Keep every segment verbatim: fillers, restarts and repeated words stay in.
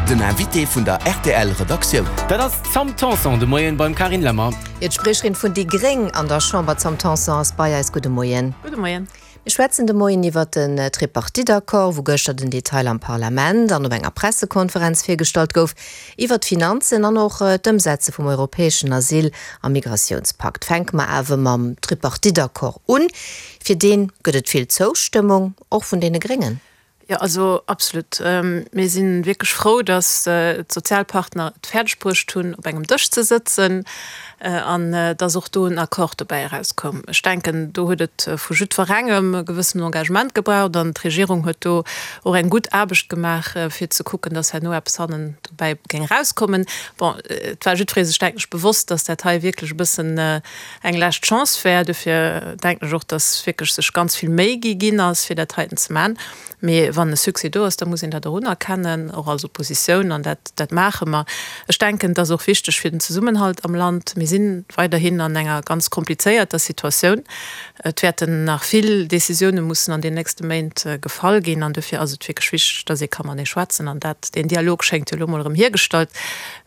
Den Invité vun der R T L Redaktioun. Dat ass d'Sam Tanson de Moien beim Carine Lemmer. Jo, d'Spriecherin vun déi Gréng an der Chamber, d'Sam Tanson, ass bei eis. Gudde Moien. Gudde Moien. Mir schwätzen de Moien iwwer den Tripartite-Accord, wou gëschter den Detail am Parlament an op enger Pressekonferenz virgestallt gouf, iwwer d'Finanzen an och d'Ëmsetze vum europäeschen Asyl a Migratiounspakt. Fänke mer awer mam Tripartite-Accord un. Fir dee gëtt et vill Zoustëmmung, och vun deene Gréngen. Jo, also absolut. Mir si wierklech frou, datt d'Sozialpartner et fäerdeg bruecht hunn, op engem Dësch ze sëtzen an datt och do en Accord dobäi erauskoum. Ech denken, do huet et vu jiddwerengem e gewëssen Engagement gebraucht an d'Regierung huet do och eng gutt Aarbecht gemaach, fir ze kucken, datt herno eppes hannen dobäi géing erauskommen. Bon, et war jiddweree sech, denken ech, bewosst, datt dat hei wierklech e bëssen eng lescht Chance wär. Dofir denken ech och, datt wierklech sech ganz vill Méi gi ginn ass, fir dat heiten ze maachen. Mee wann e Succès do ass, da muss een dat och unerkennen, och als Oppositioun, an dat, dat maache mer. Ech denken, et ass och wichteg fir den Zesummenhalt am Land. Mir si weiderhin an enger ganz komplizéierter Situatioun. Et wäerten nach vill Décisioune mussen an den nächste Méint gefall ginn, an dofir ass et wierklech wichteg, dass ee ka matenee schwätzen, an dat, deen Dialog schéngt jo elo mol erëm hiergestallt.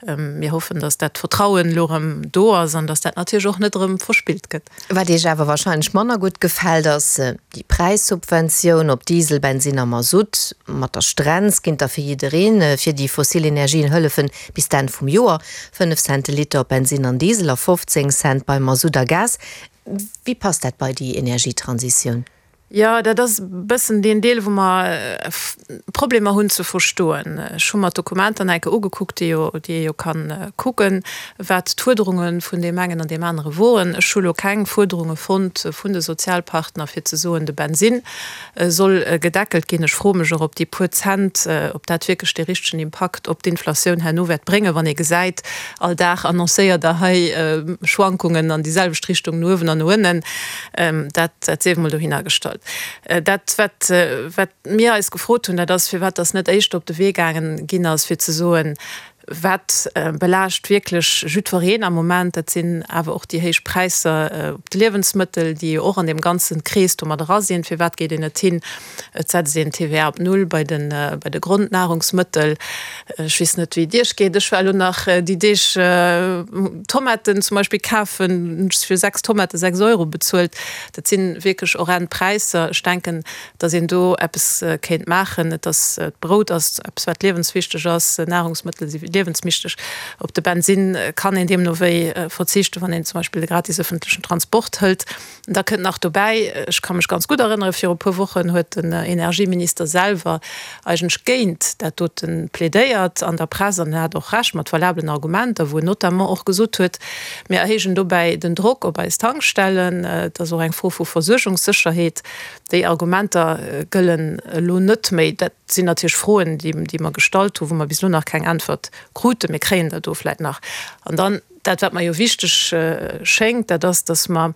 Mir hoffen, dass dat Vertrauen elo erëm do ass an dass dat natierlech och net erëm verspillt gëtt. Wat Iech awer wahrscheinlech manner gutt gefält, ass déi Präissubventioun op Diesel, Bensinn a Masutt. Mat der Strenz ginn da fir jiddereen fir déi fossil Energien hëllefen bis d'Enn vum Joer. fënnef Cent de Liter op Bensinn an Diesel a fofzéng Cent bei Masutt a Gas. Wéi passt dat bei déi Energietransitioun? Jo, dat ass e bëssen deen Deel, wou mer Problemer hunn ze verstoen. Ech hu mer d'Dokumenter nach eng Kéier ugekuckt, déi jo, déi ee jo kann kucken, wat d'Fuerderunge vun deem engen an deem anere woren. Ech hu lo keng Fuerderunge fonnt vun de Sozialpartner, fir ze soen, de Bensinn soll gedeckelt ginn. Ech froe mech och, ob déi puer Cent, ob dat wierklech dee richtegen Impakt op d'Inflatioun herno wäert bréngen, wann ee gesäit, all Dag annoncéiert Der hei Schwankungen an déi selwecht Richtung no uewen an no ënnen. Dat, dat sief emol dohinner gestallt. Dat, wat, wat mir eis gefrot hunn, dat ass, firwat dass net éischter op de Wee gaangen ginn ass, fir ze soen, wat belaascht wierklech jiddwereen am Moment, dat sinn awer och déi héich Präisser op de Liewensmëttel, déi jo och an deem ganzen Krees do mat era sinn. Firwat geet een net hin, et setzt een d'T V A op null bei de, bei de Grondnahrungsmëttel? Ech weess net, wéi et Iech geet, ech war elo nach déi Deeg Tomaten zum Beispill kafen, hunn ech fir sechs Tomate sechs Euro bezuelt. Dat si wierklech horrend Präisser. Ech denken, datt een do eppes kéint maachen. Et ass, d'Brout ass eppes, wat liewenswichteg ass, Nahrungsmëttel si liewenswichteg. Op de Bensinn kann een deemno wéi verzichten, wann een zum Beispill de gratis ëffentlechen Transport hëlt. Da kënnt nach dobäi, ech ka mech ganz gutt erënneren, viru e puer Wochen huet den Energieminister selwer eigentlech géint dat dote plädéiert an der Press, an en hat och Recht mat valablen Argumenter, wou en notamment och gesot huet, mir erhéijen dobäi den Drock op eis Tankstellen, et ass och eng Fro vu Versuergungssécherheet. Déi Argumenter gëllen elo net méi. Dat sinn natierlech Froen, déi, déi mer gestallt hunn, wou mer bis elo nach keng Äntwert kruten. Mir kréien der do vläicht nach. An dann dat, wat mer jo wichteg schéngt, dat ass, dass mer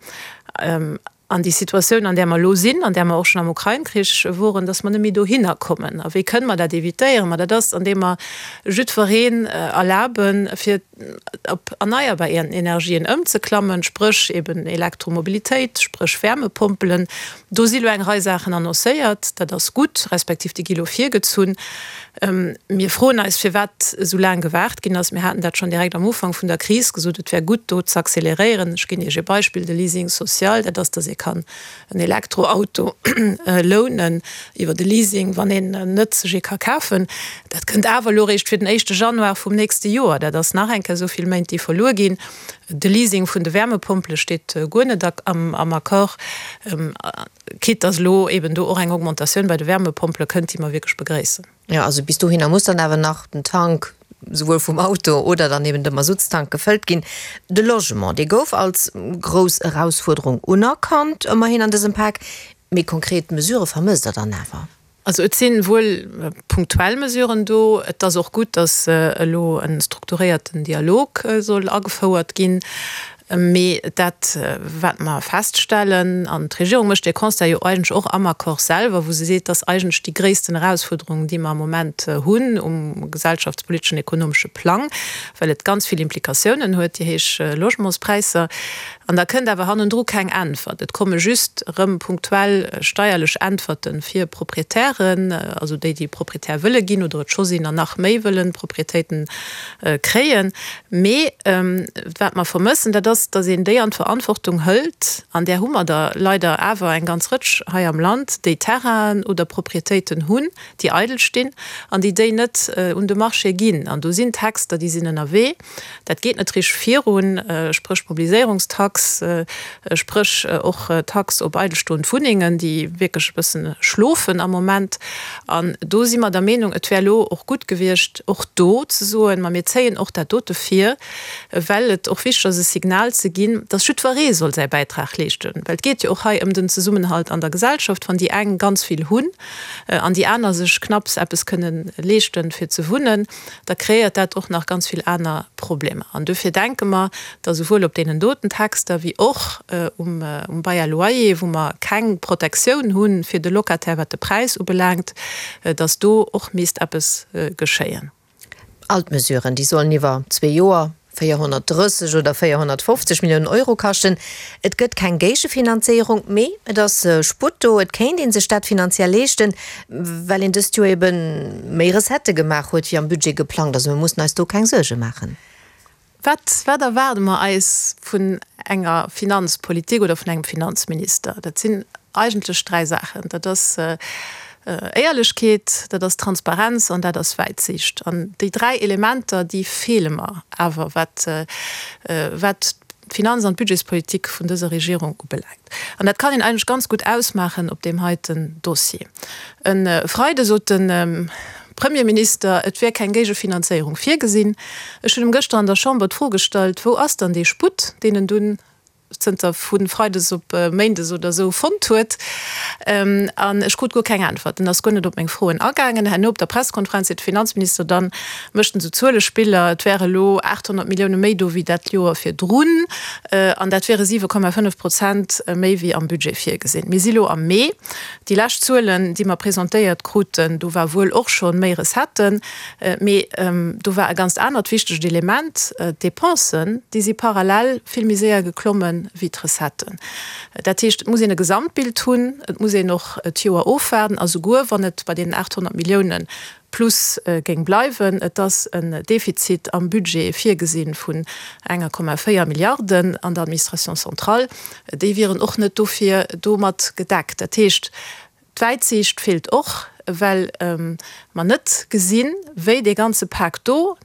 an déi Situatioun, an där mer elo sinn, an där mer och schonn am Ukrain-Krich woren, dass mer net méi dohinner kommen. A wéi kënne mer dat evitéieren? Ma dat ass, andeem mer jiddwereen erlaben, fir op erneierbar Energien ëmzeklammen, spréch eben Elektromobilitéit, spréch Wärmepompelen. Do si lo eng Rei Saachen annoncéiert, dat ass gutt, respektiv déi gi lo virgezunn. Mir froen eis, firwat esou laang gewaart ginn ass. Mir haten dat schonn direkt am Ufank vun der Kris gesot, et wär gutt, do z'acceleréieren. Ech ginn Iech e Beispill, de Leasing social, dat ass, dass ee kann en Elektroauto lounen iwwer de Leasing, wann een net sech ee ka kafen. Dat kënnt awer elo eréischt fir den éischte Januar vum nächste Joer. Dat ass nach eng Kéier esou vill Méint, déi verluer ginn. De Leasing vun de Wärmepompele steet guer net am Accord, quitte dass elo eben do och eng Augmentatioun bei de Wärmepompele kënnt, déi mer wierklech begréissen. Jo, also bis dohinner muss dann awer nach den Tank souwuel vum Auto oder dann eben de Masuttstank gefëllt ginn. De Logement, dee gouf als grouss Erausfuerderung unerkannt, ëmmerhin an dësem Pak. Mee konkret Mesurë vermësst Der dann awer? Also et si wuel punktuell Mesuren do. Et ass och gutt, datt elo e strukturéierten Dialog soll agefouert ginn. Mee dat, wat mer feststellen, an d'Regierung mécht dee Constat jo eigentlech och am Accord selwer, wou se seet, dass eigentlech déi gréissten Erausfuerderung, déi mer am Moment hunn um gesellschaftspoliteschen, ekonomesche Plang, well et ganz vill Implikatiounen huet, déi héich Logementspräisser. An da kënnt awer hannendru keng Äntwert. Et komme just erëm punktuell steierlech Äntwerte fir Proprietären, also déi, déi Proprietär wëlle ginn oder et scho sinn an nach méi wëllen Proprietéiten kréien. Mee wat mer vermëssen, dat ass, datt een déi an d'Verantwortung hëlt, an där hu mer der leider awer eng ganz Rëtsch hei am Land, déi Terrainen oder Proprietéiten hunn, déi eidel stinn an déi déi net un de Marché ginn. An do sinn Texter, déi sinn ënnerwee. Dat geet net richteg virun, spréch Mobiliséierungstax, spréch och Tax op eidelstoend Wunnengen, déi wierklech e bëssen schlofen am Moment. An do si mer der Meenung, et wär elo och gutt gewiescht, och do ze soen, ma mir zéien och dat dote vir, well et och wichteg ass, e Signal ze ginn, dass jiddweree soll säi Bäitrag leeschten. Well et geet jo och hei ëm den Zesummenhalt an der Gesellschaft, wann déi eng ganz vill hunn an déi aner sech knapps eppes kënnen leeschten, fir ze wunnen, da kreéiert dat och nach ganz vill aner Problemer. An dofir denke mer, datt esouwuel op deenen doten Texter wéi och um Bail à loyer, wou mer keng Protektioun hu fir de Locataire, wat de Präis ubelaangt, datt do och misst eppes geschéien. All d'Mesuren, déi sollen iwwer zwee Joer véierhonnertdrësseg oder véierhonnertfofzeg Milliounen Euro kaschten. Et gëtt keng Géigefinanzéierung, mee et ass Sputt do. Et kéint ee sech dat finanziell leeschten, well een dëst Joer ebe méi Recettë gemaach huet, wéi am Budget geplangt. Also mir mussen eis do keng Suerge maachen. Wat, wat erwaarde mer eis vun enger Finanzpolitik oder vun engem Finanzminister? Dat sinn eigentlech dräi Saachen. Dat ass Éierlechkeet, dat ass Transparenz an dat ass Wäitsiicht. An déi dräi Elementer, déi feele mer awer, wat, wat d'Finanz an d'Budgetspolitik vun dëser Regierung ubelaangt. An dat kann een eigentlech ganz gutt ausmaachen op deem heiten Dossier. E Freide sot de Premierminister, et wär keng Géigefinanzéierung virgesinn. Ech hunn em gëschter an der Chamber d'Fro gestallt, Wou ass dann dee Sputt, deen en dunn zënter vu Freides op Méindes oder esou fonnt huet? An ech krut guer keng Äntwert. En ass guer net op meng Froen agaangen. Herno op der Pressekonferenz seet de Finanzminister dann, mécht en esou Zuelespiller, et wäre elo aathonnert Millioune méi do wéi dat Joer virdrun an dat wiere siwe Komma fënnef Prozent méi wéi am Budget virgesinn. Mir si lo am Mee. Déi lescht Zuelen, déi mer presentéiert kruten, do war wuel och scho méi Recetten, mee do war e ganzt anert wichtegt Element, D'Depensen, déi si parallel vill méi séier geklomme wéi d'Recetten. Dat heescht, et muss een e Gesamtbild hunn, et muss een och d'Joer ofwaarden a souguer wann et bei deenen aathonnert Millioune plus géing bleiwen, et ass en Defizit am Budget virgesi vun enger Komma véier Milliarden an der Administration centrale, déi wieren och net dofir domat gedeckt. Dat heescht, d'Wäitsiicht feelt och, well mer net gesinn, wéi dee ganze Pak do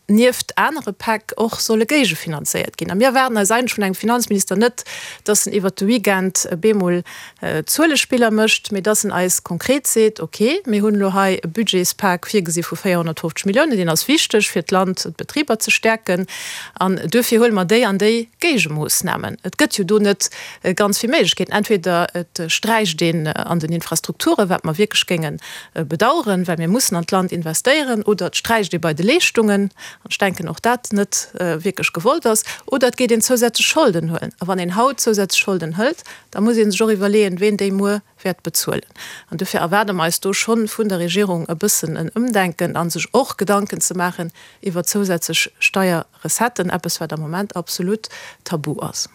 nieft anere Päck och solle géigefinanzéiert ginn. A mir erwaarden eis eigentlech vun engem Finanzminister net, dass en iwwert de Weekend bemol Zuelespiller mécht, mee dass en eis konkret seet, ok, mir hunn elo hei e Budgetspak virgesi vu véierhonnertfofzeg Milliounen, deen ass wichteg fir d'Land, d'Betriber ze stäerken, an duerfir huele mer déi an déi Géigemoossnamen. Et gëtt jo do net ganz vill Méiglechkeeten. Entweder et sträicht een an den Infrastrukturen, wat mer wierklech géinge bedauern, well mir mussen an d'Land investéieren, oder et sträicht ee bei de Leeschtungen, an ech denken och dat net wierklech gewollt ass, oder et geet een zousätzlech Scholden huelen. A wann een haut zousätzlech Scholden hëlt, da muss ee sech och iwwerleeën, ween déi muer wäert bezuelen. An dofir erwaarde mer eis do schonn vun der Regierung e bëssen en Ëmdenken a sech och Gedanken ze maachen iwwer zousätzlech Steierrecetten, eppes wat am Moment absolut tabu ass.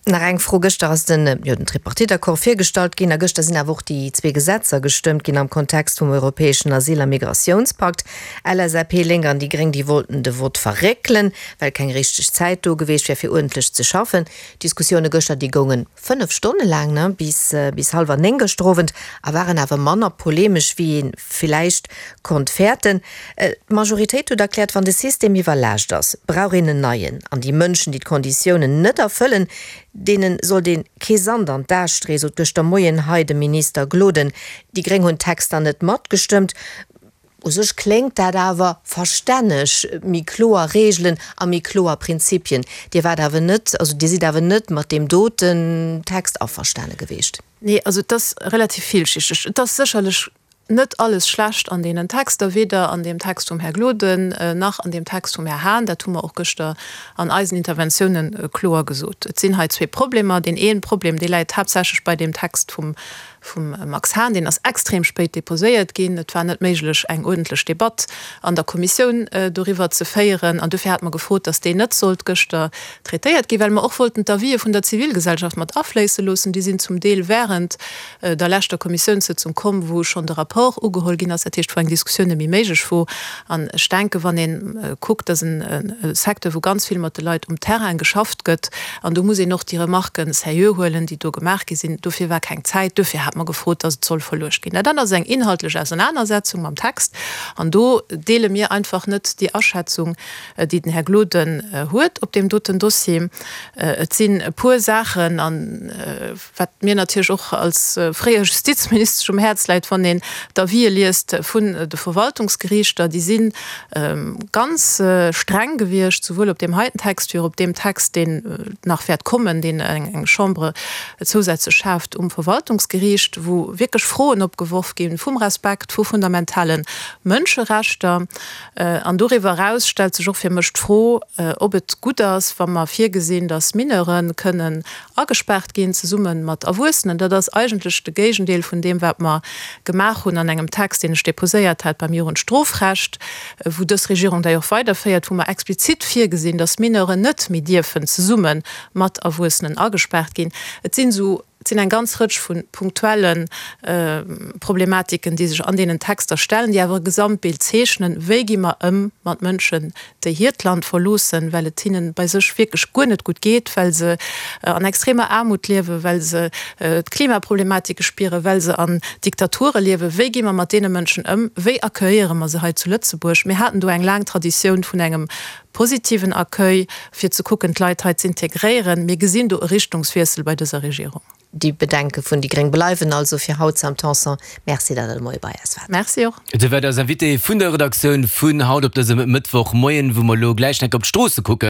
Nach eng Fro, Gëschter ass den, jo, den Tripartite-Accord virgestallt ginn a gëschter sinn awer och déi zwee Gesetzer gestëmmt ginn am Kontext vum europäeschen Asyl a Migrationspakt. LSAP, Lénk an déi Gréng, déi wollten de Vott verréckelen, well keng richteg Zäit do geweecht wär fir uerdentlech ze schaffen. D'Diskussioune gëschter, déi goungen fënnef Stonne laang, ne, bis, bis hallwer néng gëschter Owend a waren awer manner polemesch, wéi ee villäicht konnt fäerten. D'Majoritéit huet erkläert, wann de System iwwerlaascht ass, brauch een en neien an déi Mënschen, déi d'Konditiounen net erfëllen, deene sollt ee kee Sand an d'A streeën, sot gëschter Moien hei de Minister Gloden. Déi Gréng hunn d'Texter net matgestëmmt. U sech kléngt dat awer verstänneg, méi kloer Reegelen a méi kloer Prinzipien. Dir waart awer net, also Dir sidd awer net mat deem doten Text averstane gewiescht. Nee, also et ass relativ villschichteg. Et ass sécherlech net alles schlecht an deenen Texter, weder an deem Text vum Här Gloden nach an deem Text vum Här Hahn. Dat hu mer och gëschter an eisen Interventiounen kloer gesot. Et sinn hei zwee Problemer. Deen een Problem, dee läit haaptsächlech bei deem Text vum vum Max Hahn, deen ass extrem spéit déposéiert ginn. Et war net méiglech, eng uerdentlech Debatt an der Kommissioun doriwwer ze féieren. An dofir hate mer gefrot, datt deen net sollt gëschter traitéiert ginn, well mer och wollten d'Avisë vun der Zivilgesellschaft mat afléisse loossen. Déi sinn zum Deel während der leschter Kommissiounssëtzung komm, wou schonn de Rapport ugeholl ginn ass, dat heescht, wou eng Diskussioun net méi méiglech wor. An ech denken, wann ee kuckt, dat ass e Secteur, wou ganz vill mat de Leit um Terrain geschafft gëtt, an do muss een och déi Remarquen sérieux huelen, déi do gemaach gi sinn. Dofir war keng Zäit. Dofir hate mer gefrot, datt et soll verluecht ginn. Dat ass eng inhaltlech Ausernanersetzung mam Text, an do deele mir einfach net déi Aschätzung, déi den Här Gloden huet op deem doten Dossier. Et sinn e puer Saachen, an wat mir natierlech och als fréier Justizministesch um Häerz läit, wann een d'Avisë liest vun de Verwaltungsgeriichter, déi si ganz streng gewiescht, souwuel op deem heiten Text wéi och op deem Text, deen nach wäert kommen, deen eng Chambre zousätzlech schaaft um Verwaltungsgeriicht, wou wierklech Froen opgeworf gi vum Respekt vu fundamentale Mënscherechter. An doriwwer eraus stellt sech och fir mech d'Fro, ob et gutt ass, wa mer virgesinn, datt Mineure kënnen agespaart ginn zesumme mat Erwuessenen. Dat ass eigentlech de Géigendeel vun deem, wat mer gemaach hunn an engem Text, deen ech deposéiert hat beim Jugendstrofrecht, wou dës Regierung dat jo och weiderféiert, wou mer explizit virgesinn, datt Mineuren net méi dierfen zesumme mat Erwuessenen agespaart ginn. Et sinn esou, et sinn eng ganz Rëtsch vu punktuelle Problematiken, déi sech an deenen Texter stellen, déi awer e Gesamtbild zeechnen, Wéi gi mer ëm mat Mënschen, déi hiert Land verloossen, well et hinnen bei sech wierklech guer net gutt geet, well se an extremer Aarmut liewen, well se d'Klimaproblematike spieren, well se an Diktature liewen? Wéi gi mer mat deene Mënschen ëm? Wéi accueilliere mer se hei zu Lëtzebuerg? Mir haten do eng laang Traditioun vun engem positiven Accueil, fir ze kucken, d'Leit hei z'integréieren. Mir gesinn do e Richtungswiessel bei dëser Regierung. Déi Bedenke vun déi gréng bleiwen also fir haut. Sam Tanson, Merci, datt Der de Moie bei eis waart. Merci och. Dir waart eis Invitée vun der Redaktioun vun haut op dësem Mëttwochmoien, wou mer elo gläich enk op d'Stroosse kucken.